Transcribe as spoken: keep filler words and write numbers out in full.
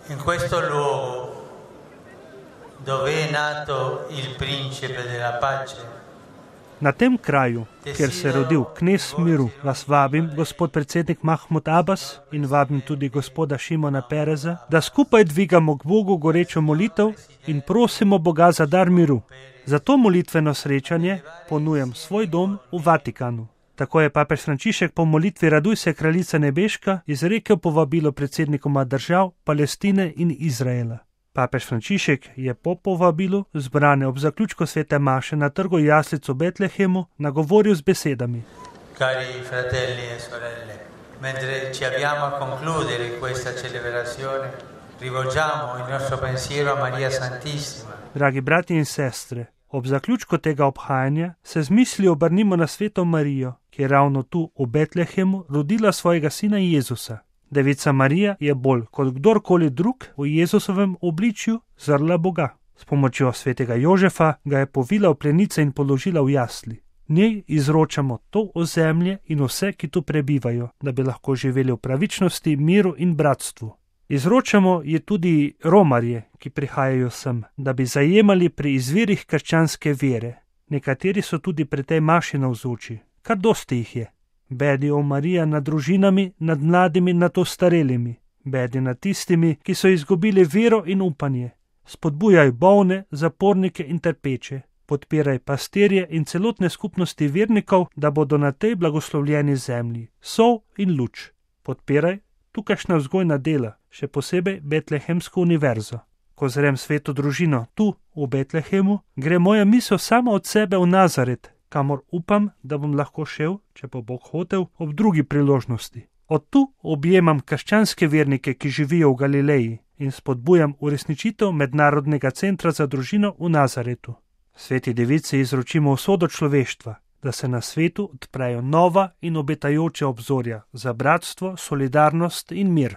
In questo luogo dove è nato il principe della pace. Na tem kraju, kjer se je rodil knez miru, vas vabim, gospod predsednik Mahmud Abbas, in vabim tudi gospoda Šimona Pereza, da skupaj dvigamo k Bogu gorečo molitev in prosimo Boga za dar miru. Za to molitveno srečanje ponujam svoj dom v Vatikanu. Tako je papež Frančišek po molitvi Raduj se, kraljica nebeška, izrekel povabilo predsednikoma držav Palestine in Izraela. Papež Frančišek je po povabilu zbrane ob zaključku svete maše na trgu jaslic v Betlehemu nagovoril z besedami. Cari fratelli e sorelle, mentre ci avviamo a concludere questa celebrazione, rivolgiamo il nostro pensiero a Maria Santissima. Dragi brati in sestre, ob zaključku tega obhajanja se z mislijo obrnimo na sveto Marijo, ki je ravno tu v Betlehemu rodila svojega sina Jezusa. Devica Marija je bolj kot kdorkoli drug v Jezusovem obličju zrla Boga. S pomočjo svetega Jožefa ga je povila v plenice in položila v jasli. Njej izročamo to ozemlje in vse, ki tu prebivajo, da bi lahko živeli v pravičnosti, miru in bratstvu. Izročamo je tudi romarje, ki prihajajo sem, da bi zajemali pri izvirih krščanske vere. Nekateri so tudi pri tej maši navzoči, kar dosti jih je. Bedi o Marija nad družinami, nad mladimi, nad ostarelimi. Bedi nad tistimi, ki so izgubili vero in upanje. Spodbujaj bolne, zapornike in trpeče. Podpiraj pastirje in celotne skupnosti vernikov, da bodo na tej blagoslovljeni zemlji sol in luč. Podpiraj tukajšnja vzgojna dela, še posebej Betlehemsko univerzo. Ko zrem sveto družino tu v Betlehemu, gre moja misel sama od sebe v Nazaret, kamor upam, da bom lahko šel, če pa Bog hotel, ob drugi priložnosti. Od tu objemam krščanske vernike, ki živijo v Galileji, in spodbujam uresničitev Mednarodnega centra za družino v Nazaretu. Sveti devici izročimo usodo človeštva, da se na svetu odprejo nova in obetajoča obzorja za bratstvo, solidarnost in mir.